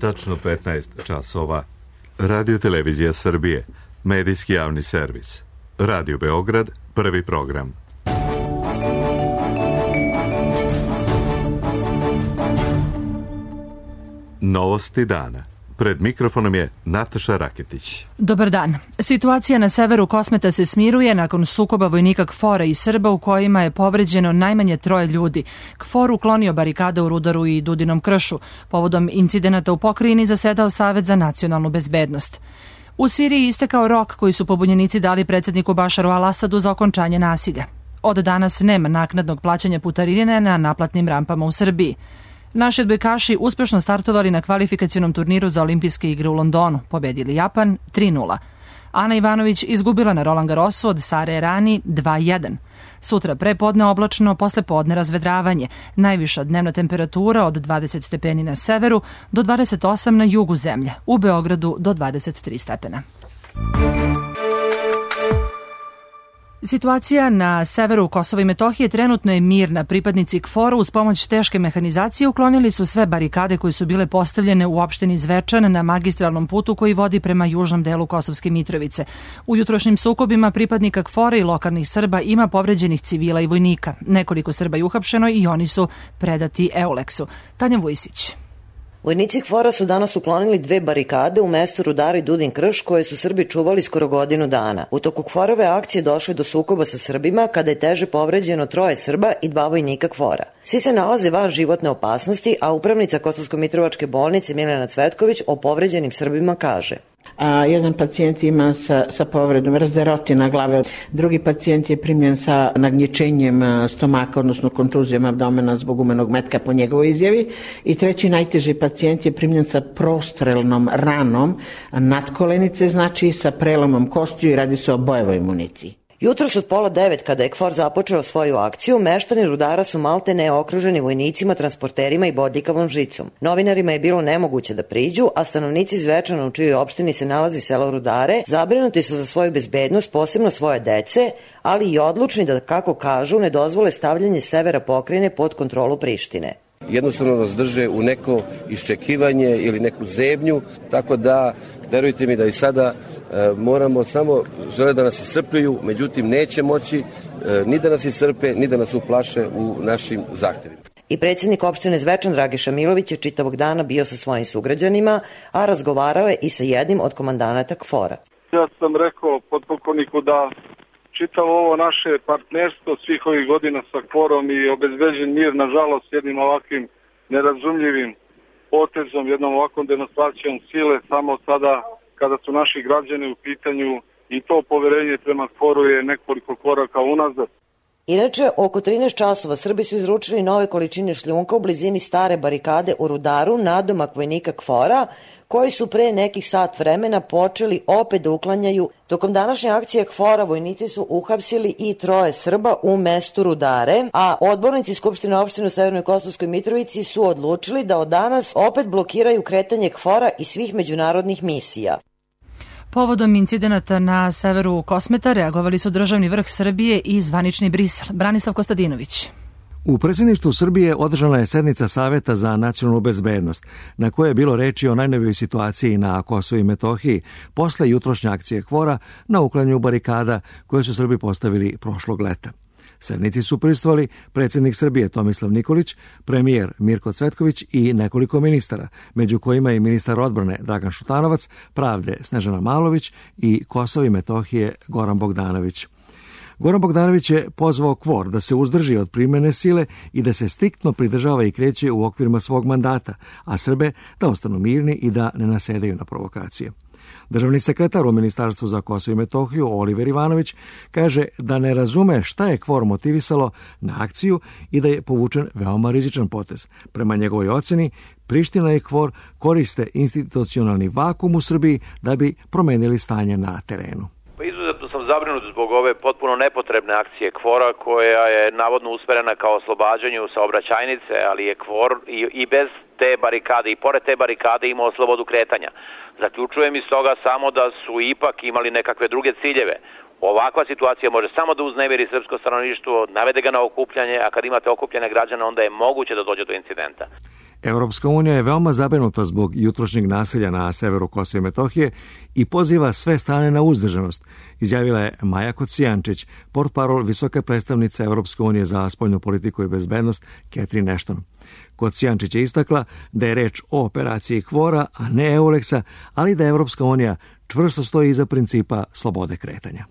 Tačno 15 časova. Radio Televizija Srbije. Medijski javni servis. Radio Beograd, prvi program. Novosti dana. Pred mikrofonom je Nataša Raketić. Dobar dan. Situacija na severu Kosmeta se smiruje nakon sukoba vojnika KFOR-a i Srba u kojima je povređeno najmanje 3 ljudi. KFOR uklonio barikade u Rudaru i Dudinom kršu. Povodom incidenata u pokrajini zasedao Savet za nacionalnu bezbednost. U Siriji istekao rok koji su pobunjenici dali predsjedniku Bašaru al-Asadu za okončanje nasilja. Od danas nema naknadnog plaćanja putarine na naplatnim rampama u Srbiji. Naši odbojkaši uspešno startovali na kvalifikacionom turniru za olimpijske igre u Londonu, pobedili Japan 3:0. Ana Ivanović izgubila na Roland Garrosu od Sare Errani 2:1. Sutra prepodne oblačno, posle podne razvedravanje. Najviša dnevna temperatura od 20 stepeni na severu do 28 na jugu zemlje. U Beogradu do 23 stepena. Situacija na severu Kosova i Metohije trenutno je mirna. Pripadnici KFOR-a uz pomoć teške mehanizacije uklonili su sve barikade koje su bile postavljene u opštini Zvečan na magistralnom putu koji vodi prema južnom delu Kosovske Mitrovice. U jutrošnjim sukobima pripadnika KFOR-a i lokalnih Srba ima povređenih civila i vojnika. Nekoliko Srba je uhapšeno i oni su predati Euleksu. Tanja Vujsić. Vojnici KFOR-a su danas uklonili 2 barikade u mestu Rudar i Dudin krš koje su Srbi čuvali skoro godinu dana. U toku KFOR-ove akcije došlo je do sukoba sa Srbima kada je teže povređeno 3 Srba i 2 vojnika KFOR-a. Svi se nalaze van životne opasnosti, a upravnica Kosovsko-Mitrovačke bolnice Milena Cvetković o povređenim Srbima kaže: Jedan pacijent ima sa povredom razderotina glave, drugi pacijent je primljen sa nagnječenjem stomaka, odnosno kontuzijom abdomena zbog umenog metka po njegovoj izjavi, i treći najteži pacijent je primljen sa prostrelnom ranom nadkolenice, znači sa prelomom kostiju, i radi se o bojevoj municiji. Jutros od 8:30 kada je KFOR započeo svoju akciju, meštani Rudara su maltene okruženi vojnicima, transporterima i bodljikavom žicom. Novinarima je bilo nemoguće da priđu, a stanovnici Zvečana, u čijoj opštini se nalazi selo Rudare, zabrinuti su za svoju bezbednost, posebno svoje dece, ali i odlučni da, kako kažu, ne dozvole stavljanje severa pokrajine pod kontrolu Prištine. Jednostavno nas drže u neko iščekivanje ili neku zebnju, tako da verujte mi da i sada moramo samo, žele da nas iscrpljuju, međutim neće moći ni da nas iscrpe, ni da nas uplaše u našim zahtevima. I predsjednik opštine Zvečan Dragiša Milović je čitavog dana bio sa svojim sugrađanima, a razgovarao je i sa jednim od komandanata KFOR-a. Ja sam rekao potpukovniku da čitavo ovo naše partnerstvo svih ovih godina sa KFOR-om i obezbeđen mir, nažalost, jednim ovakvim nerazumljivim potezom, jednom ovakvom demonstracijom sile, samo sada kada su naši građani u pitanju, i to poverenje prema KFOR-u je nekoliko koraka unazad. Inače, oko 13 časova Srbi su izručili nove količine šljunka u blizini stare barikade u Rudaru, nadomak vojnika KFOR-a, koji su pre nekih sat vremena počeli opet da uklanjaju. Tokom današnje akcije KFOR-a vojnici su uhapsili i 3 Srba u mestu Rudare, a odbornici Skupštine opštine u Severnoj Kosovskoj Mitrovici su odlučili da od danas opet blokiraju kretanje KFOR-a i svih međunarodnih misija. Povodom incidenata na severu Kosmeta reagovali su državni vrh Srbije i zvanični Brisel. Branislav Kostadinović. U predsjedništvu Srbije održana je sednica Saveta za nacionalnu bezbednost, na kojoj je bilo reči o najnovijoj situaciji na Kosovu i Metohiji posle jutrošnje akcije KFOR-a na uklanjanju barikada koje su Srbi postavili prošlog leta. Sednici su prisustvovali predsjednik Srbije Tomislav Nikolić, premijer Mirko Cvetković i nekoliko ministara, među kojima i ministar odbrane Dragan Šutanovac, pravde Snežana Malović i Kosova i Metohije Goran Bogdanović. Goran Bogdanović je pozvao KFOR da se uzdrži od primene sile i da se striktno pridržava i kreće u okvirima svog mandata, a Srbe da ostanu mirni i da ne nasedaju na provokacije. Državni sekretar u Ministarstvu za Kosovo i Metohiju Oliver Ivanović kaže da ne razume šta je KFOR motivisalo na akciju i da je povučen veoma rizičan potez. Prema njegovoj oceni, Priština i KFOR koriste institucionalni vakum u Srbiji da bi promenili stanje na terenu. Izuzetno sam zabrinut zbog ove potpuno nepotrebne akcije KFOR-a koja je navodno usmerena kao oslobađanju saobraćajnice, ali je KFOR i bez te barikade i pored te barikade imao slobodu kretanja. Zaključujem iz toga samo da su ipak imali nekakve druge ciljeve. Ovakva situacija može samo da uznemiri srpsko stanovništvo, navede ga na okupljanje, a kad imate okupljene građane, onda je moguće da dođe do incidenta. Europska unija je veoma zabrinuta zbog jutrošnjeg nasilja na severu Kosova i Metohije i poziva sve strane na uzdržanost, izjavila je Maja Kocijančić, portparol visoke predstavnice Europske unije za spoljnu politiku i bezbednost Catherine Ashton. Kocijančić je istakla da je reč o operaciji KFOR-a, a ne EULEX-a, ali da Europska unija čvrsto stoji iza principa slobode kretanja.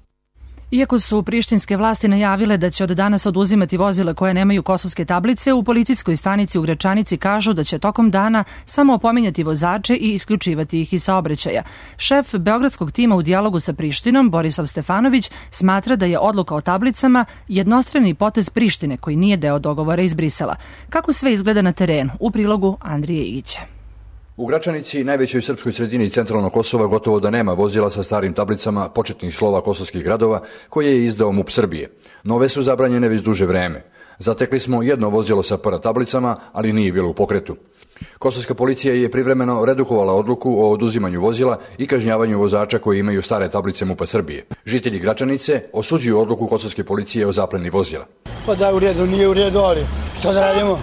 Iako su prištinske vlasti najavile da će od danas oduzimati vozila koje nemaju kosovske tablice, u policijskoj stanici u Gračanici kažu da će tokom dana samo opominjati vozače i isključivati ih iz saobraćaja. Šef beogradskog tima u dijalogu sa Prištinom, Borislav Stefanović, smatra da je odluka o tablicama jednostrani potez Prištine koji nije deo dogovora iz Brisela. Kako sve izgleda na terenu? U prilogu Andrije Igića. U Gračanici, najvećoj srpskoj sredini centralnog Kosova, gotovo da nema vozila sa starim tablicama početnih slova kosovskih gradova koje je izdao MUP Srbije. Nove su zabranjene već duže vreme. Zatekli smo jedno vozilo sa tablicama, ali nije bilo u pokretu. Kosovska policija je privremeno redukovala odluku o oduzimanju vozila i kažnjavanju vozača koji imaju stare tablice MUP Srbije. Žitelji Gračanice osuđuju odluku kosovske policije o zapleni vozila. Pa da, u redu, nije u redu, ali što da radimo?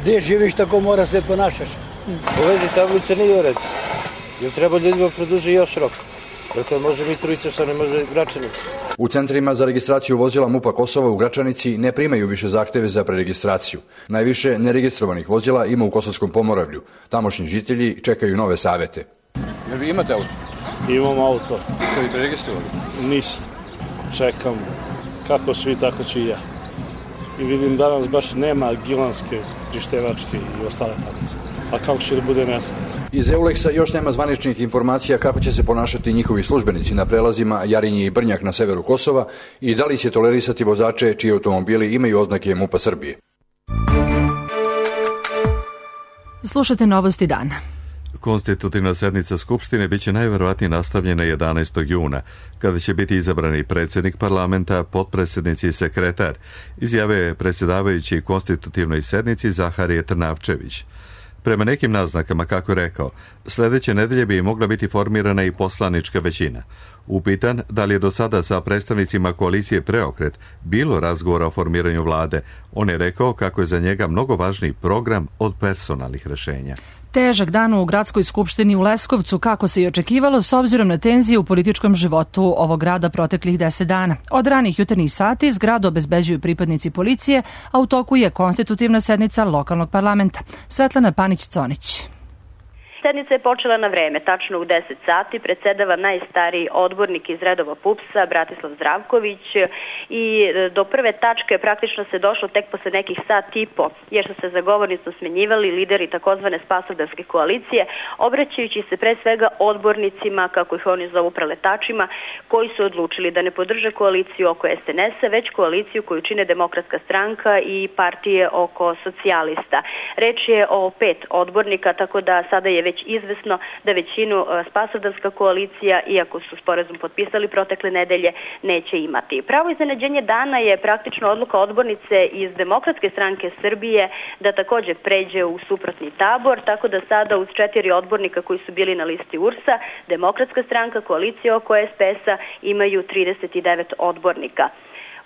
Gde živiš, tako mora se ponašaš. U vezi tablice nije u redu, jer treba ljudima produži još rok. Dakle, može Mitrovica, što ne može Gračanica. U centrima za registraciju vozila MUP-a Kosova u Gračanici ne primaju više zahteve za preregistraciju. Najviše neregistrovanih vozila ima u Kosovskom Pomoravlju. Tamošnji žitelji čekaju nove savete. Jer vi imate auto? Imam auto. Ste li preregistrovali? Nisam. Čekam. Kako svi, tako ću i ja. I vidim danas baš nema gilanske, prištevačke i ostale tablice. A kako će da bude, ne znam. Iz EULEX-a još nema zvaničnih informacija kako će se ponašati njihovi službenici na prelazima Jarinje i Brnjak na severu Kosova i da li će tolerisati vozače čiji automobili imaju oznake MUP-a Srbije. Slušate novosti dana. Konstitutivna sednica Skupštine biće najverovatnije nastavljena 11. juna, kada će biti izabrani predsjednik parlamenta, potpredsjednici i sekretar, izjavio je predsjedavajući konstitutivnoj sednici Zaharije Trnavčević. Prema nekim naznakama, kako je rekao, sljedeće nedelje bi mogla biti formirana i poslanička većina. Upitan da li je do sada sa predstavnicima koalicije Preokret bilo razgovora o formiranju vlade, on je rekao kako je za njega mnogo važniji program od personalnih rešenja. Težak dan u gradskoj skupštini u Leskovcu, kako se i očekivalo, s obzirom na tenzije u političkom životu ovog grada proteklih 10 dana. Od ranih jutarnjih sati zgradu obezbeđuju pripadnici policije, a u toku je konstitutivna sednica lokalnog parlamenta. Svetlana Panić-Conić. Sednica je počela na vreme, tačno u 10 sati, predsjedava najstariji odbornik iz redova PUPS-a, Bratislav Zdravković, i do prve tačke praktično se došlo tek posle nekih sat i po, jer su se za govornicu smenjivali lideri takozvane spasovdarske koalicije, obraćajući se pre svega odbornicima, kako ih oni zovu preletačima, koji su odlučili da ne podrže koaliciju oko SNS-a, već koaliciju koju čine Demokratska stranka i partije oko socijalista. Reč je o 5 odbornika, tako da sada je već izvesno da većinu spasovdarska koalicija, iako su sporazum potpisali protekle nedelje, neće imati. Pravo iznenađenje dana je praktično odluka odbornice iz Demokratske stranke Srbije da također pređe u suprotni tabor, tako da sada uz 4 odbornika koji su bili na listi URS-a, Demokratska stranka, koalicija oko SPS-a imaju 39 odbornika.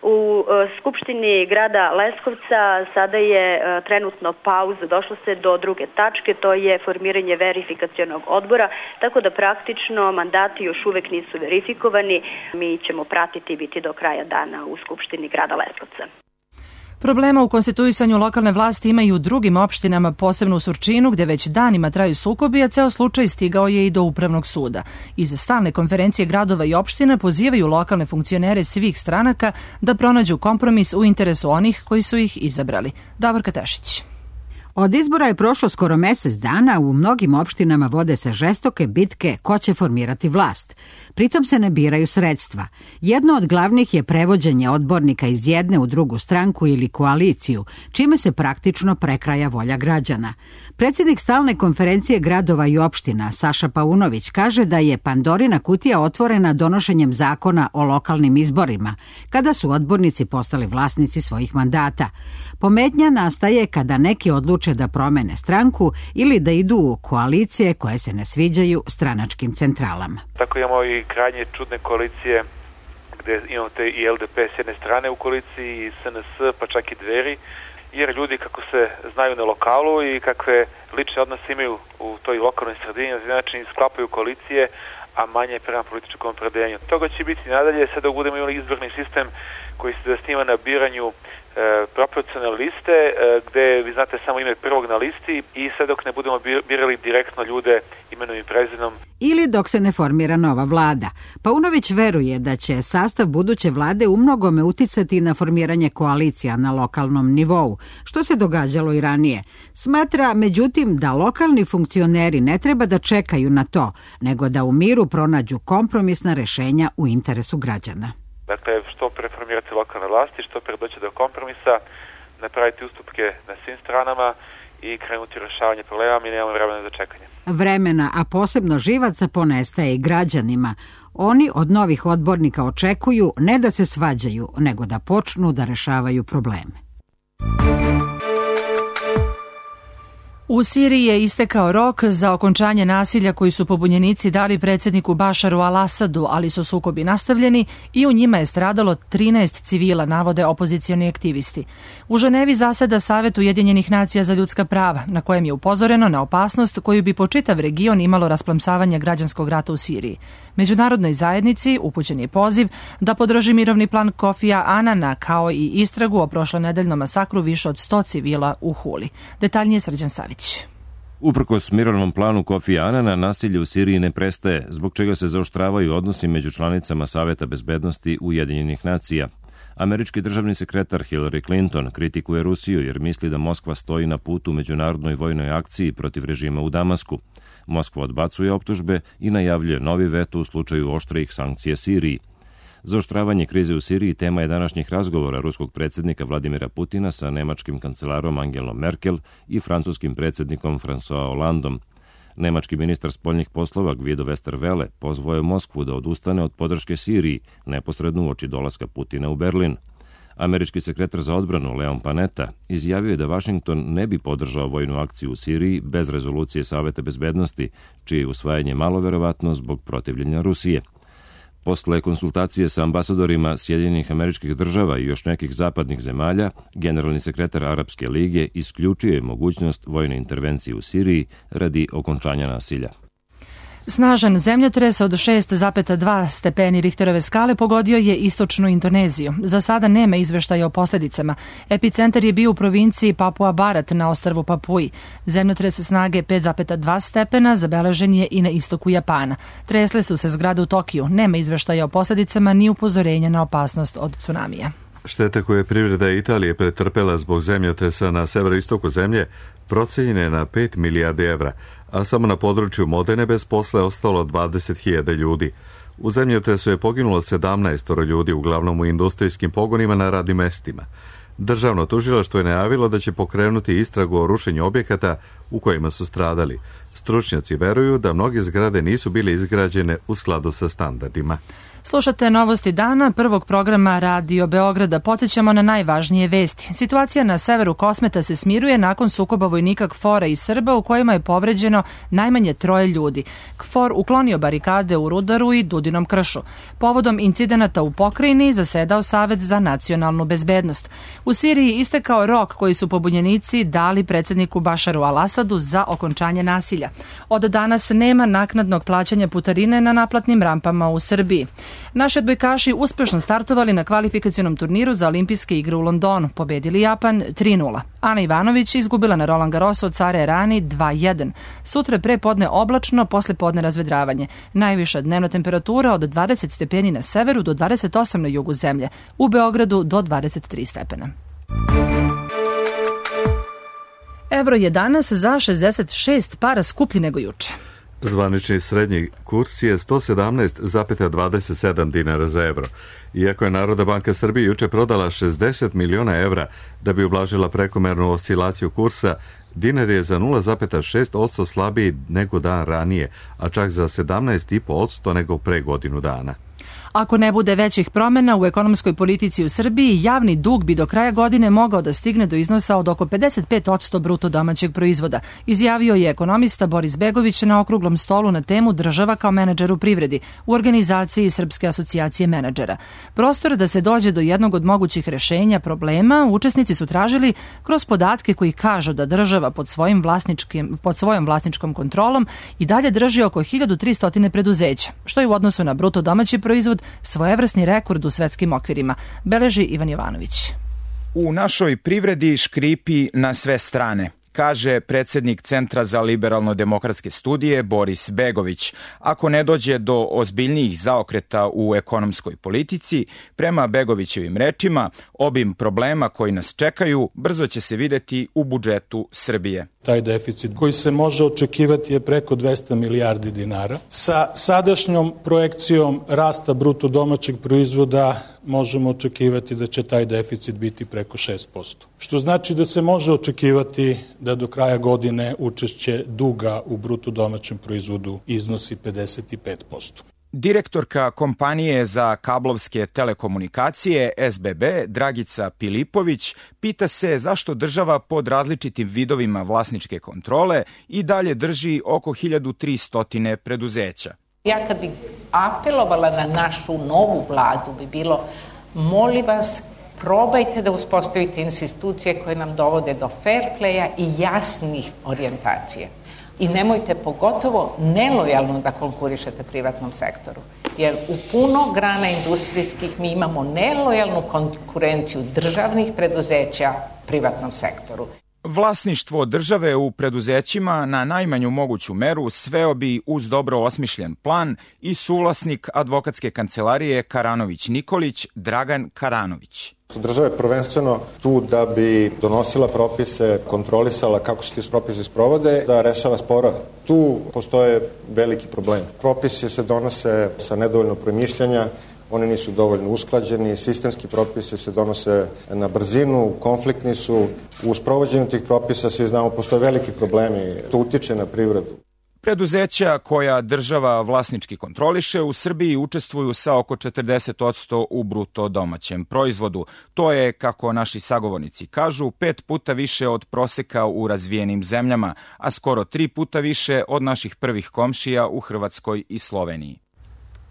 U Skupštini grada Leskovca sada je trenutno pauza, došlo se do druge tačke, to je formiranje verifikacionog odbora, tako da praktično mandati još uvek nisu verifikovani. Mi ćemo pratiti i biti do kraja dana u Skupštini grada Leskovca. Problema u konstituisanju lokalne vlasti ima i u drugim opštinama, posebno u Surčinu, gde već danima traju sukobi, a ceo slučaj stigao je i do Upravnog suda. Iz stalne konferencije gradova i opština pozivaju lokalne funkcionere svih stranaka da pronađu kompromis u interesu onih koji su ih izabrali. Davorka Tešić. Od izbora je prošlo skoro mesec dana, u mnogim opštinama vode se žestoke bitke ko će formirati vlast. Pritom se ne biraju sredstva. Jedno od glavnih je prevođenje odbornika iz jedne u drugu stranku ili koaliciju, čime se praktično prekraja volja građana. Predsjednik stalne konferencije gradova i opština, Saša Paunović, kaže da je Pandorina kutija otvorena donošenjem zakona o lokalnim izborima, kada su odbornici postali vlasnici svojih mandata. Pometnja nastaje kada neki odluče da promene stranku ili da idu u koalicije koje se ne sviđaju stranačkim centralama. Tako imamo i krajnje čudne koalicije gde imate i LDP s jedne strane u koaliciji, i SNS, pa čak i Dveri, jer ljudi kako se znaju na lokalu i kakve lične odnose imaju u toj lokalnoj sredini, na način sklapaju koalicije, a manje prema političkom opredeljenju. Toga će biti nadalje, sve dok budemo imali izborni sistem koji se zasniva na biranju proporcionalne liste, gde vi znate samo ime prvog na listi, i sve dok ne budemo birali direktno ljude imenom i prezimenom. Ili dok se ne formira nova vlada. Paunović veruje da će sastav buduće vlade umnogome uticati na formiranje koalicija na lokalnom nivou, što se događalo i ranije. Smatra, međutim, da lokalni funkcioneri ne treba da čekaju na to, nego da u miru pronađu kompromisna rešenja u interesu građana. Dakle, što preformirati lokalne vlasti, što pre doći do kompromisa, napraviti ustupke na svim stranama i krenuti u rešavanje problema, mi nemamo vremena za čekanje. Vremena, a posebno živaca, ponestaje i građanima. Oni od novih odbornika očekuju ne da se svađaju, nego da počnu da rešavaju probleme. U Siriji je istekao rok za okončanje nasilja koji su pobunjenici dali predsjedniku Bašaru al-Asadu, ali su sukobi nastavljeni i u njima je stradalo 13 civila, navode opozicioni aktivisti. U Ženevi zaseda Savet Ujedinjenih nacija za ljudska prava, na kojem je upozoreno na opasnost koju bi po čitav region imalo rasplamsavanje građanskog rata u Siriji. Međunarodnoj zajednici upućen je poziv da podrži mirovni plan Kofija Anana, kao i istragu o prošlonedeljnom masakru više od 100 civila u Huli. Detaljnije Srđan Savić. Uprkos mirovnom planu Kofija Anana, nasilje u Siriji ne prestaje, zbog čega se zaoštravaju odnosi među članicama Saveta bezbednosti Ujedinjenih nacija. Američki državni sekretar Hillary Clinton kritikuje Rusiju jer misli da Moskva stoji na putu međunarodnoj vojnoj akciji protiv režima u Damasku. Moskva odbacuje optužbe i najavljuje novi veto u slučaju oštrih sankcija Siriji. Zaoštravanje krize u Siriji tema je današnjih razgovora ruskog predsjednika Vladimira Putina sa nemačkim kancelarom Angelom Merkel i francuskim predsjednikom François Hollandom. Nemački ministar spoljnih poslova Guido Westerwelle pozvao je Moskvu da odustane od podrške Siriji neposredno uoči dolaska Putina u Berlin. Američki sekretar za odbranu Leon Panetta izjavio je da Vašington ne bi podržao vojnu akciju u Siriji bez rezolucije Saveta bezbednosti, čije je usvajanje malo verovatno zbog protivljenja Rusije. Posle konsultacije sa ambasadorima Sjedinjenih Američkih Država i još nekih zapadnih zemalja, generalni sekretar Arapske lige isključio je mogućnost vojne intervencije u Siriji radi okončanja nasilja. Snažan zemljotres od 6,2 stepeni Richterove skale pogodio je istočnu Indoneziju. Za sada nema izveštaja o posljedicama. Epicentar je bio u provinciji Papua Barat na ostrvu Papui. Zemljotres snage 5,2 stepena zabeležen je i na istoku Japana. Tresle su se zgrade u Tokiju. Nema izveštaja o posljedicama ni upozorenja na opasnost od tsunamija. Šteta koje je privreda Italije pretrpela zbog zemljotresa na severoistoku zemlje procenjena je na 5 milijardi evra, a samo na području Modene bez posla je ostalo 20.000 ljudi. U zemljotresu je poginulo 17 ljudi, uglavnom u industrijskim pogonima na radnim mestima. Državno tužilaštvo je najavilo da će pokrenuti istragu o rušenju objekata u kojima su stradali. Stručnjaci veruju da mnoge zgrade nisu bile izgrađene u skladu sa standardima. Slušate novosti dana, prvog programa Radio Beograda. Podsjećamo na najvažnije vesti. Situacija na severu Kosmeta se smiruje nakon sukoba vojnika KFOR-a i Srba u kojima je povređeno najmanje 3 ljudi. KFOR uklonio barikade u Rudaru i Dudinom kršu. Povodom incidenata u pokrajini zasedao Savet za nacionalnu bezbednost. U Siriji istekao rok koji su pobunjenici dali predsjedniku Bašaru al-Asadu za okončanje nasilja. Od danas nema naknadnog plaćanja putarine na naplatnim rampama u Srbiji. Naši odbojkaši uspešno startovali na kvalifikacionom turniru za olimpijske igre u Londonu. Pobedili Japan 3:0. Ana Ivanović izgubila na Roland Garrosu od Sare Errani 2:1. Sutra pre podne oblačno, posle podne razvedravanje. Najviša dnevna temperatura od 20 stepeni na severu do 28 na jugu zemlje. U Beogradu do 23 stepena. Evro je danas za 66 para skuplji nego juče. Zvanični srednji kurs je 117,27 dinara za evro. Iako je Narodna banka Srbije juče prodala 60 miliona evra da bi ublažila prekomernu oscilaciju kursa, dinar je za 0,6% slabiji nego dan ranije, a čak za 17,5% nego pre godinu dana. Ako ne bude većih promena u ekonomskoj politici u Srbiji, javni dug bi do kraja godine mogao da stigne do iznosa od oko 55% bruto domaćeg proizvoda, izjavio je ekonomista Boris Begović na okruglom stolu na temu država kao menadžer u privredi u organizaciji Srpske asocijacije menadžera. Prostor da se dođe do jednog od mogućih rešenja problema učesnici su tražili kroz podatke koji kažu da država pod svojom vlasničkom kontrolom i dalje drži oko 1300 preduzeća, što je u odnosu na bruto domaći proizvod svojevrsni rekord u svetskim okvirima, beleži Ivan Jovanović. U našoj privredi škripi na sve strane, kaže predsednik Centra za liberalno-demokratske studije Boris Begović. Ako ne dođe do ozbiljnijih zaokreta u ekonomskoj politici, prema Begovićevim rečima, obim problema koji nas čekaju brzo će se videti u budžetu Srbije. Taj deficit koji se može očekivati je preko 200 milijardi dinara. Sa sadašnjom projekcijom rasta bruto domaćeg proizvoda možemo očekivati da će taj deficit biti preko 6%. Što znači da se može očekivati da do kraja godine učešće duga u bruto domaćem proizvodu iznosi 55%. Direktorka kompanije za kablovske telekomunikacije SBB Dragica Pilipović pita se zašto država pod različitim vidovima vlasničke kontrole i dalje drži oko 1300 preduzeća. Ja kad bih apelovala na našu novu vladu bi bilo, molim vas, probajte da uspostavite institucije koje nam dovode do fair playa i jasnih orijentacije. I nemojte pogotovo nelojalno da konkurišete privatnom sektoru. Jer u puno grana industrijskih mi imamo nelojalnu konkurenciju državnih preduzeća privatnom sektoru. Vlasništvo države u preduzećima na najmanju moguću meru sveo bi uz dobro osmišljen plan i suvlasnik advokatske kancelarije Karanović-Nikolić Dragan Karanović. Država je prvenstveno tu da bi donosila propise, kontrolisala kako se ti propisi sprovode, da rešava sporove. Tu postoje veliki problem. Propisi se donose sa nedovoljno promišljanja, oni nisu dovoljno usklađeni, sistemski propisi se donose na brzinu, konfliktni su. U sprovođenju tih propisa, svi znamo, postoje veliki problemi. To utiče na privredu. Preduzeća koja država vlasnički kontroliše u Srbiji učestvuju sa oko 40% u bruto domaćem proizvodu. To je, kako naši sagovornici kažu, 5 puta više od proseka u razvijenim zemljama, a skoro 3 puta više od naših prvih komšija u Hrvatskoj i Sloveniji.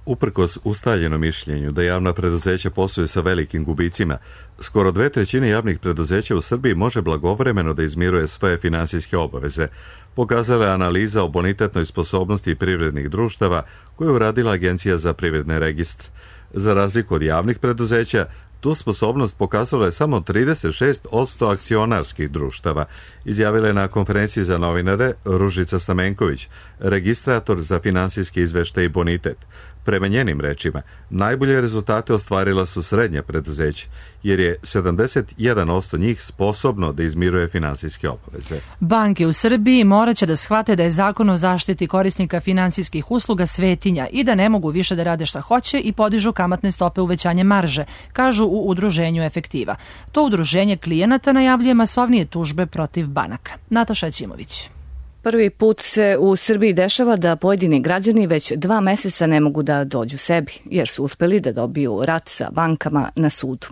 Uprkos ustaljenom mišljenju da javna preduzeća posluju sa velikim gubicima, skoro 2/3 javnih preduzeća u Srbiji može blagovremeno da izmiruje svoje finansijske obaveze, pokazala je analiza o bonitetnoj sposobnosti privrednih društava koju je uradila Agencija za privredne registre. Za razliku od javnih preduzeća, tu sposobnost pokazala je samo 36% akcionarskih društava, izjavila je na konferenciji za novinare Ružica Stamenković, registrator za finansijski izveštaj i bonitet. Prema njenim rečima, najbolje rezultate ostvarila su srednja preduzeća, jer je 71% njih sposobno da izmiruje finansijske obaveze. Banke u Srbiji morat će da shvate da je Zakon o zaštiti korisnika finansijskih usluga svetinja i da ne mogu više da rade šta hoće i podižu kamatne stope uvećanje marže, kažu u udruženju Efektiva. To udruženje klijenata najavljuje masovnije tužbe protiv banaka. Nataša Ćimović. Prvi put se u Srbiji dešava da pojedini građani već 2 meseca ne mogu da dođu sebi, jer su uspeli da dobiju rat sa bankama na sudu.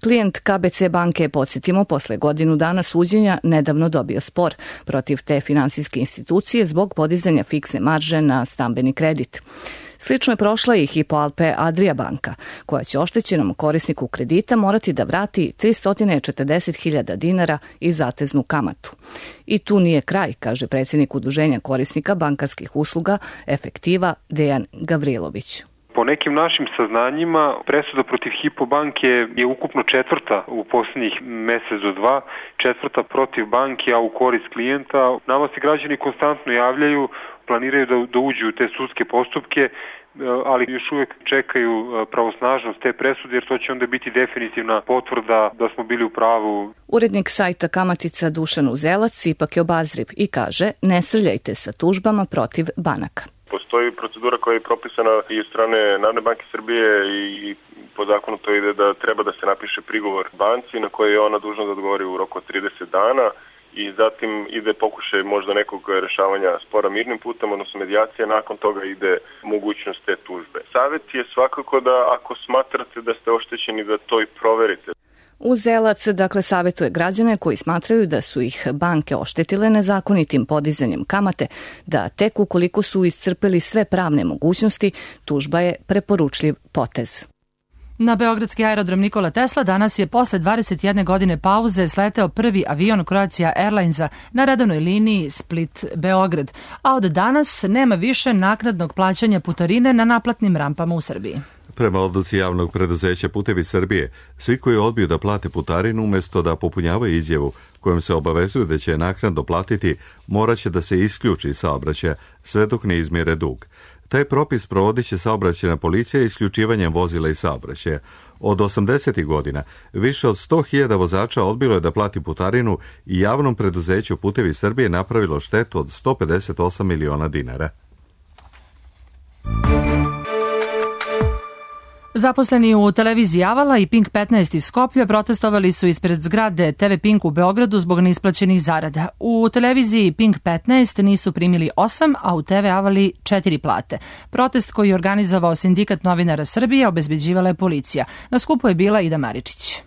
Klijent KBC banke, podsjetimo, posle godinu dana suđenja nedavno dobio spor protiv te finansijske institucije zbog podizanja fiksne marže na stambeni kredit. Slično je prošla i Hypo Alpe Adria banka, koja će oštećenom korisniku kredita morati da vrati 340.000 dinara i zateznu kamatu. I tu nije kraj, kaže predsjednik udruženja korisnika bankarskih usluga Efektiva Dejan Gavrilović. Po nekim našim saznanjima, presuda protiv Hypo banke je ukupno 4. u posljednjih mesec do 2, 4. protiv banke, a u korist klijenta. Nama se građani konstantno javljaju, planiraju da uđu u te sudske postupke, ali još uvijek čekaju pravosnažnost te presude, jer to će onda biti definitivna potvrda da smo bili u pravu. Urednik sajta Kamatica Dušan Uzelac ipak je obazriv i kaže: ne srljajte sa tužbama protiv banaka. Postoji procedura koja je propisana i od strane Narodne banke Srbije i po zakonu to ide da treba da se napiše prigovor banci na koji je ona dužna da odgovori u roku od 30 dana i zatim ide pokušaj možda nekog rešavanja spora mirnim putem, odnosno medijacija, nakon toga ide mogućnost te tužbe. Savjet je svakako da ako smatrate da ste oštećeni da to i proverite. Uzelac, dakle, savjetuje građane koji smatraju da su ih banke oštetile nezakonitim podizanjem kamate, da tek ukoliko su iscrpeli sve pravne mogućnosti, tužba je preporučljiv potez. Na beogradski aerodrom Nikola Tesla danas je posle 21 godine pauze sleteo prvi avion Croatia Airlinesa na redovnoj liniji Split-Beograd, a od danas nema više naknadnog plaćanja putarine na naplatnim rampama u Srbiji. Prema odluci javnog preduzeća Putevi Srbije, svi koji odbiju da plate putarinu umesto da popunjavaju izjavu kojom se obavezuju da će naknadno platiti, moraće da se isključi saobraćaja sve dok ne izmjere dug. Taj propis provodit će saobraćajna policija isključivanjem vozila i saobraćaja. Od 80. godina više od 100.000 vozača odbilo je da plati putarinu i javnom preduzeću Putevi Srbije napravilo štetu od 158 miliona dinara. Zaposleni u televiziji Avala i Pink 15 iz Skoplja protestovali su ispred zgrade TV Pink u Beogradu zbog neisplaćenih zarada. U televiziji Pink 15 nisu primili 8, a u TV Avali 4 plate. Protest koji je organizovao Sindikat novinara Srbije obezbeđivala je policija. Na skupu je bila Ida Maričić.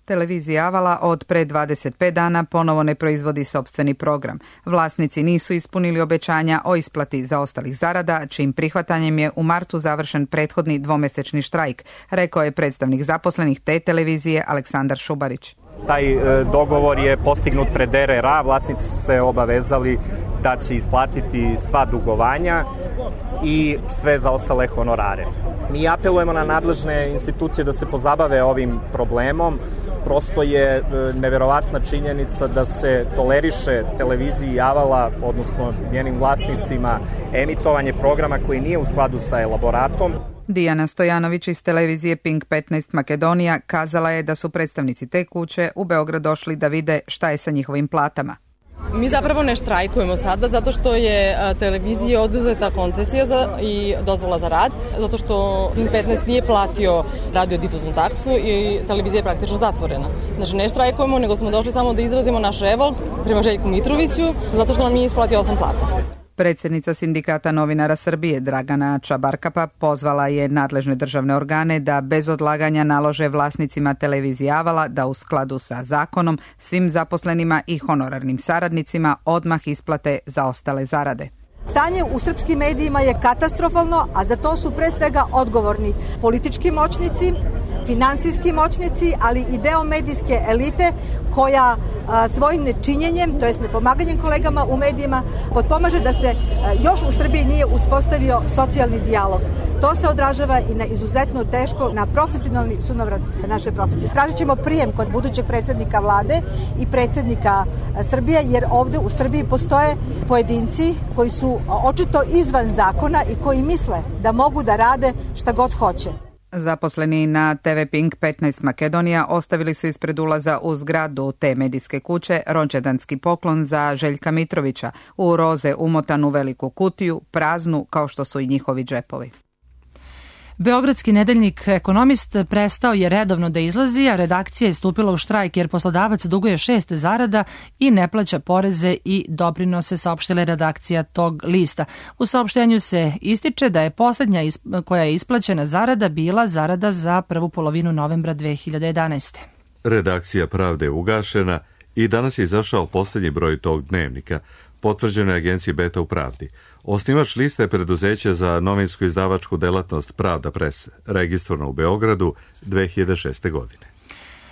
Televizija Avala od pre 25 dana ponovo ne proizvodi sopstveni program. Vlasnici nisu ispunili obećanja o isplati zaostalih zarada, čijim prihvatanjem je u martu završen prethodni dvomesečni štrajk, rekao je predstavnik zaposlenih te televizije Aleksandar Šubarić. Taj dogovor je postignut pred RRA, vlasnici su se obavezali da će isplatiti sva dugovanja i sve zaostale honorare. Mi apelujemo na nadležne institucije da se pozabave ovim problemom. Prosto je neverovatna činjenica da se toleriše televiziji Avala, odnosno njenim vlasnicima, emitovanje programa koji nije u skladu sa elaboratom. Dijana Stojanović iz televizije Pink 15 Makedonija kazala je da su predstavnici te kuće u Beograd došli da vide šta je sa njihovim platama. Mi zapravo ne štrajkujemo sada zato što je televiziji oduzeta koncesija i dozvola za rad, zato što Pink 15 nije platio radiodifuznu taksu i televizija je praktično zatvorena. Znači ne štrajkujemo, nego smo došli samo da izrazimo naš revolt prema Željku Mitroviću zato što nam nije isplatio 8 plata. Predsjednica Sindikata novinara Srbije Dragana Čabarkapa pozvala je nadležne državne organe da bez odlaganja nalože vlasnicima televizije Avala da u skladu sa zakonom svim zaposlenima i honorarnim saradnicima odmah isplate zaostale zarade. Stanje u srpskim medijima je katastrofalno, a za to su pre svega odgovorni politički moćnici, finansijski moćnici, ali i deo medijske elite koja svojim nečinjenjem, to jest nepomaganjem kolegama u medijima, potpomaže da se još u Srbiji nije uspostavio socijalni dijalog. To se odražava i na izuzetno teško, na profesionalni sunovrat naše profesije. Tražit ćemo prijem kod budućeg predsjednika vlade i predsjednika Srbije, jer ovde u Srbiji postoje pojedinci koji su očito izvan zakona i koji misle da mogu da rade šta god hoće. Zaposleni na TV Pink 15 Makedonija ostavili su ispred ulaza u zgradu te medijske kuće rođendanski poklon za Željka Mitrovića u roze umotanu veliku kutiju, praznu kao što su i njihovi džepovi. Beogradski nedeljnik Ekonomist prestao je redovno da izlazi, a redakcija je stupila u štrajk jer poslodavac duguje 6 zarada i ne plaća poreze i doprinose, saopštila je redakcija tog lista. U saopštenju se ističe da je posljednja koja je isplaćena zarada bila zarada za prvu polovinu novembra 2011. Redakcija Pravde je ugašena i danas je izašao posljednji broj tog dnevnika, potvrđeno je agenciji Beta u Pravdi. Osnivač liste je preduzeće za novinsku izdavačku delatnost Pravda Press, registrovano u Beogradu 2006. godine.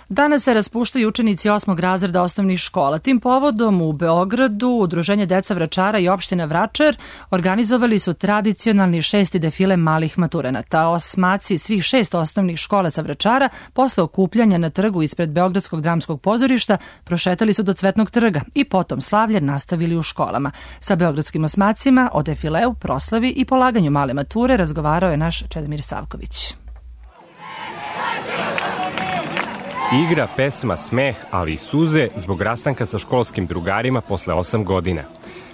Danas se raspuštaju učenici 8. razreda osnovnih škola. Tim povodom u Beogradu Udruženje Deca Vračara i opština Vračar organizovali su tradicionalni 6. defile malih maturanata. Osmaci svih 6 osnovnih škola sa Vračara posle okupljanja na trgu ispred Beogradskog dramskog pozorišta prošetali su do Cvetnog trga i potom slavlje nastavili u školama. Sa beogradskim osmacima o defileu, proslavi i polaganju male mature razgovarao je naš Čedomir Savković. Igra, pesma, smeh, ali i suze zbog rastanka sa školskim drugarima posle 8 godina.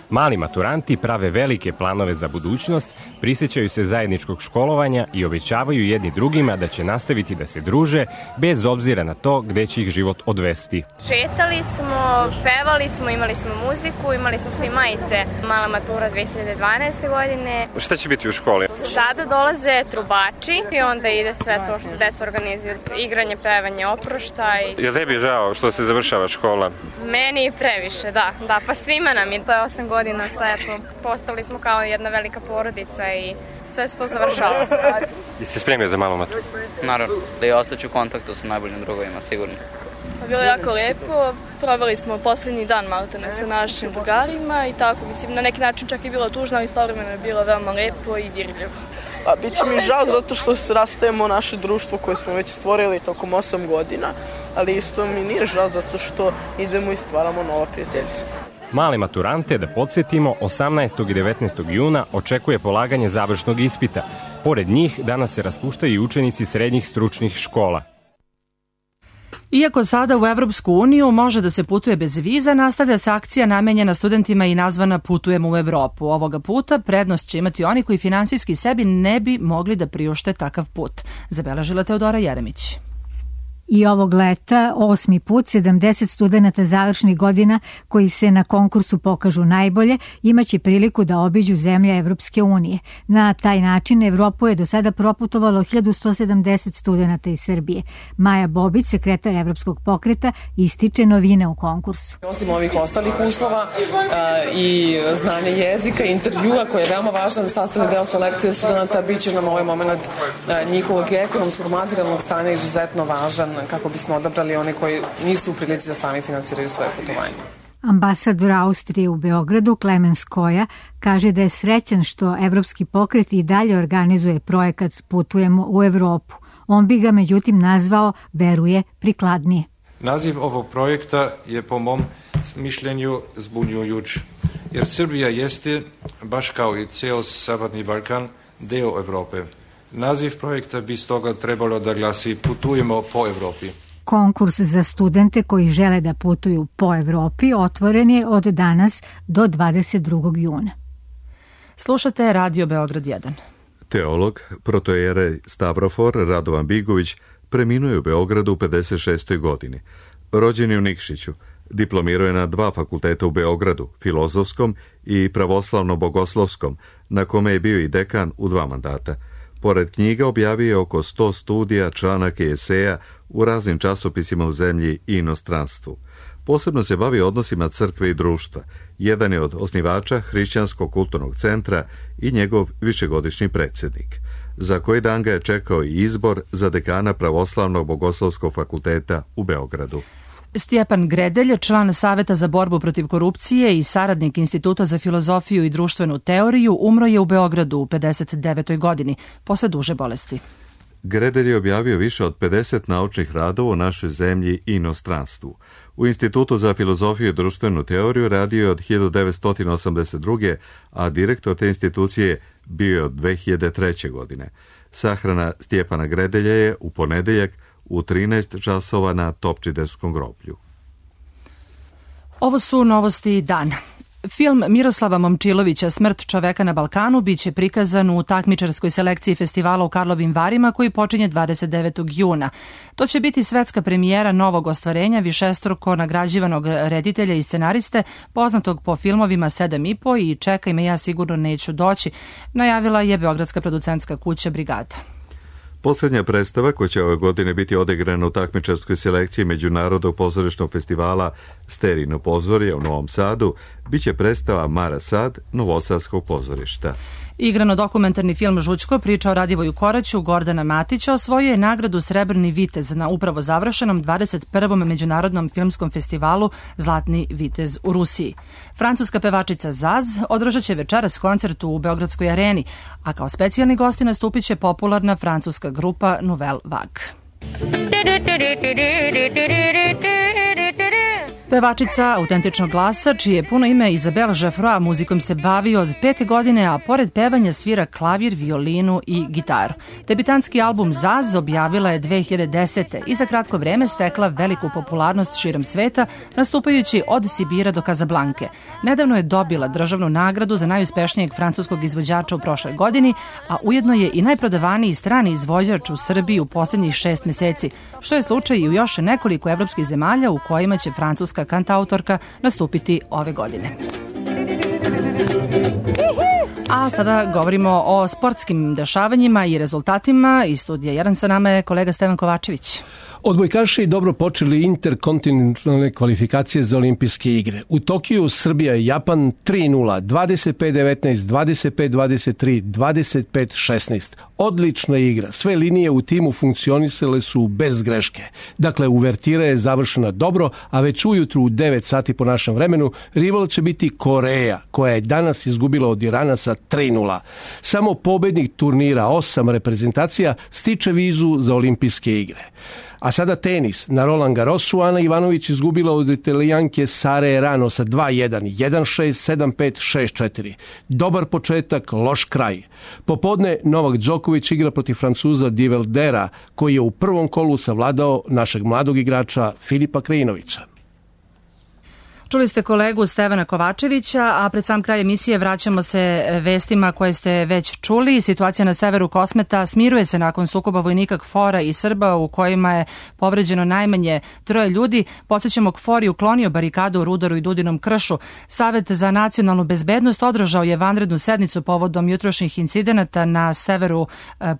Mali maturanti prave velike planove za budućnost, prisjećaju se zajedničkog školovanja i obećavaju jedni drugima da će nastaviti da se druže bez obzira na to gde će ih život odvesti. Šetali smo, pevali smo, imali smo muziku, imali smo svi majice. Mala matura 2012. godine. Šta će biti u školi? Sada dolaze trubači i onda ide sve to što deca organizuju. Igranje, pevanje, oproštaj. Jel tebi je žao što se završava škola? Meni previše, da. Pa svima nam je. To je 8 godina, sve to. Postali smo kao jedna velika porodica i sve se to završava. Jeste spremio za malu maturu? Naravno. I ostaću u kontaktu sa najboljim drugovima, sigurno. Bilo je jako lepo, proveli smo poslednji dan maltene sa našim drugarima i tako, mislim, na neki način čak i bilo tužno, ali istovremeno je bilo veoma lepo i dirljivo. Biće mi žao zato što se rastajemo naše društvo koje smo već stvorili tokom 8 godina, ali isto mi nije žao zato što idemo i stvaramo nova prijateljstva. Male maturante, da podsjetimo, 18. i 19. juna očekuje polaganje završnog ispita. Pored njih danas se raspuštaju i učenici srednjih stručnih škola. Iako sada u Evropsku uniju može da se putuje bez viza, nastavlja se akcija namenjena studentima i nazvana Putujemo u Evropu. Ovoga puta prednost će imati oni koji finansijski sebi ne bi mogli da priušte takav put. Zabeležila Teodora Jeremić. I ovog leta, 8. put, 70 studenta završnih godina koji se na konkursu pokažu najbolje, imaće priliku da obiđu zemlje Evropske unije. Na taj način Evropu je do sada proputovalo 1170 studenta iz Srbije. Maja Bobić, sekretar Evropskog pokreta, ističe novine u konkursu. Osim ovih ostalih uslova i znanje jezika, intervjua koji je veoma važan sastavni deo selekcije studenta, bit će nam ovaj moment njihovog ekonomskog materijalnog stanja izuzetno važan kako bismo odabrali one koji nisu u prilici da sami finansiraju svoje putovanje. Ambasador Austrije u Beogradu, Klemens Koja, kaže da je srećan što Evropski pokret i dalje organizuje projekat Putujemo u Evropu. On bi ga međutim nazvao, veruje, prikladnije. Naziv ovog projekta je po mom mišljenju zbunjujuć, jer Srbija jeste, baš kao i ceo Zapadni Balkan, deo Evrope. Naziv projekta bi stoga trebalo da glasi Putujemo po Evropi. Konkurs za studente koji žele da putuju po Evropi otvoren je od danas do 22. juna. Slušate Radio Beograd 1. Teolog, protojerej Stavrofor Radovan Bigović preminuo je u Beogradu u 56. godini. Rođen je u Nikšiću, diplomirao je na 2 fakulteta u Beogradu, Filozofskom i Pravoslavno-bogoslovskom, na kome je bio i dekan u 2 mandata. Pored knjiga objavio je oko 100 studija, članaka i eseja u raznim časopisima u zemlji i inostranstvu. Posebno se bavi odnosima crkve i društva. Jedan je od osnivača Hrišćanskog kulturnog centra i njegov višegodišnji predsjednik. Za koji dan ga je čekao i izbor za dekana Pravoslavnog bogoslovskog fakulteta u Beogradu. Stjepan Gredelj, član Saveta za borbu protiv korupcije i saradnik Instituta za filozofiju i društvenu teoriju, umro je u Beogradu u 59. godini, posle duže bolesti. Gredelj je objavio više od 50 naučnih radova u našoj zemlji i inostranstvu. U Institutu za filozofiju i društvenu teoriju radio je od 1982. a direktor te institucije bio je od 2003. godine. Sahrana Stjepana Gredelja je u ponedeljak u 13 časova na Topčiderskom groblju. Ovo su novosti dana. Film Miroslava Momčilovića Smrt čoveka na Balkanu biće prikazan u takmičarskoj selekciji festivala u Karlovim Varima koji počinje 29. juna. To će biti svetska premijera novog ostvarenja višestruko nagrađivanog reditelja i scenariste, poznatog po filmovima 7,5 i Čekaj me, ja sigurno neću doći, najavila je beogradska producentska kuća Brigada. Posljednja predstava, koja će ove godine biti odigrana u takmičarskoj selekciji Međunarodnog pozorišnog festivala Sterino pozorje u Novom Sadu, bit će predstava Mara Sad Novosadskog pozorišta. Igrano-dokumentarni film Žućko, priča o Radivoju Koraću Gordana Matića, osvojio je nagradu Srebrni vitez na upravo završenom 21. Međunarodnom filmskom festivalu Zlatni vitez u Rusiji. Francuska pevačica Zaz održat će večeras koncert u Beogradskoj areni, a kao specijalni gosti nastupit će popularna francuska grupa Nouvelle Vague. Pevačica autentičnog glasa, čije puno ime Izabela Žefroa, muzikom se bavi od 5. godine, a pored pevanja svira klavir, violinu i gitaru. Debitantski album Zaz objavila je 2010. i za kratko vreme stekla veliku popularnost širom sveta, nastupajući od Sibira do Kazablanke. Nedavno je dobila državnu nagradu za najuspešnijeg francuskog izvođača u prošloj godini, a ujedno je i najprodavaniji strani izvođač u Srbiji u posljednjih 6 meseci, što je slučaj i u još nekoliko evropskih zemalja u kojima će francuska kantautorka nastupiti ove godine. A sada govorimo o sportskim dešavanjima i rezultatima. Iz studija 1 sa nama je kolega Stevan Kovačević. Odbojkaši dobro počeli interkontinentalne kvalifikacije za olimpijske igre. U Tokiju Srbija i Japan 3-0, 25-19, 25-23, 25-16. Odlična igra. Sve linije u timu funkcionisale su bez greške. Dakle, uvertira je završena dobro, a već ujutru u 9 sati po našem vremenu rival će biti Koreja, koja je danas izgubila od Irana sa 3-0. Samo pobednik turnira 8 reprezentacija stiče vizu za olimpijske igre. A sada tenis. Na Roland Garrosu Ana Ivanović izgubila od Italijanke Sare Errano sa 2-1, 1-6, 7-5, 6-4. Dobar početak, loš kraj. Popodne Novak Đoković igra protiv Francuza Diveldera, koji je u prvom kolu savladao našeg mladog igrača Filipa Krajinovića. Čuli ste kolegu Stevana Kovačevića, a pred sam kraj emisije vraćamo se vestima koje ste već čuli. Situacija na severu Kosmeta smiruje se nakon sukoba vojnika KFOR-a i Srba u kojima je povređeno najmanje 3 ljudi. Podsećamo, KFOR je uklonio barikadu u Rudaru i Dudinom kršu. Savet za nacionalnu bezbednost održao je vanrednu sednicu povodom jutrošnjih incidenata na severu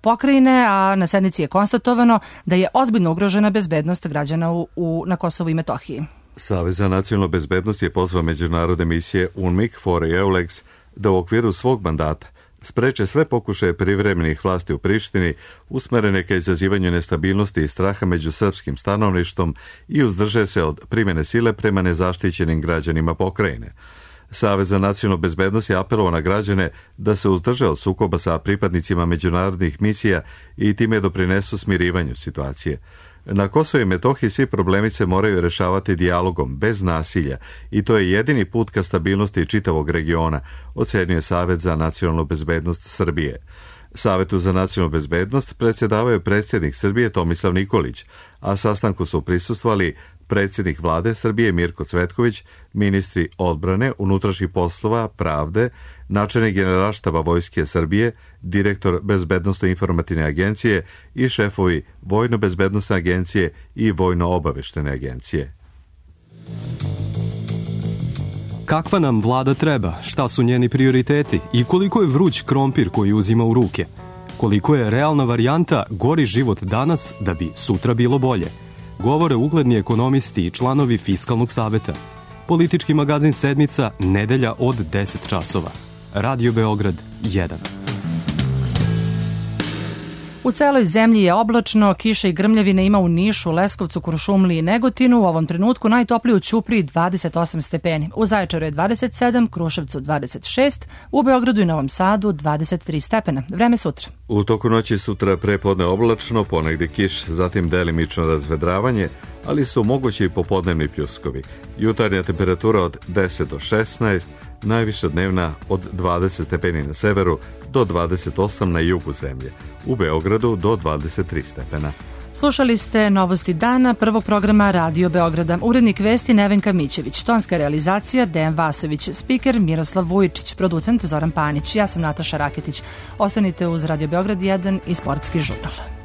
pokrajine, a na sednici je konstatovano da je ozbiljno ugrožena bezbednost građana na Kosovu i Metohiji. Savez za nacionalnu bezbednost je pozvao međunarodne misije UNMIK, KFOR i EULEX da u okviru svog mandata spreče sve pokušaje privremenih vlasti u Prištini usmerene ka izazivanju nestabilnosti i straha među srpskim stanovništvom i uzdrže se od primjene sile prema nezaštićenim građanima pokrajine. Savez za nacionalnu bezbednost je apelovao na građane da se uzdrže od sukoba sa pripadnicima međunarodnih misija i time doprinesu smirivanju situacije. Na Kosovu i Metohiji svi problemi se moraju rešavati dijalogom, bez nasilja, i to je jedini put ka stabilnosti čitavog regiona, ocenjuje Savet za nacionalnu bezbednost Srbije. Savetu za nacionalnu bezbednost predsjedavao je predsjednik Srbije Tomislav Nikolić, a sastanku su prisustvovali predsjednik vlade Srbije Mirko Cvetković, ministri odbrane, unutrašnjih poslova, pravde, načelnik Generalštaba Vojske Srbije, direktor Bezbednosno-informativne agencije i šefovi Vojno-bezbednosne agencije i Vojno-obaveštene agencije. Kakva nam vlada treba, šta su njeni prioriteti i koliko je vruć krompir koji uzima u ruke? Koliko je realna varijanta gori život danas da bi sutra bilo bolje? Govore ugledni ekonomisti i članovi Fiskalnog saveta. Politički magazin Sedmica, nedelja od 10 časova. Radio Beograd 1. U celoj zemlji je oblačno, kiše i grmljavine ima u Nišu, Leskovcu, Kuršumliji i Negotinu. U ovom trenutku najtoplije u Ćupriji 28 stepeni. U Zaječaru je 27, Kruševcu 26, u Beogradu i Novom Sadu 23 stepena. Vreme sutra. U toku noći sutra prepodne oblačno, ponegde kiš, zatim delimično razvedravanje, ali su mogući i popodnevni pljuskovi. Jutarnja temperatura od 10 do 16, najviša dnevna od 20 stepeni na severu do 28 na jugu zemlje. U Beogradu do 23 stepena. Slušali ste novosti dana prvog programa Radio Beograda. Urednik vesti Nevenka Mićević, tonska realizacija Dejan Vasović, spiker Miroslav Vujičić, producent Zoran Panić. Ja sam Nataša Raketić. Ostanite uz Radio Beograd 1 i Sportski žurnal.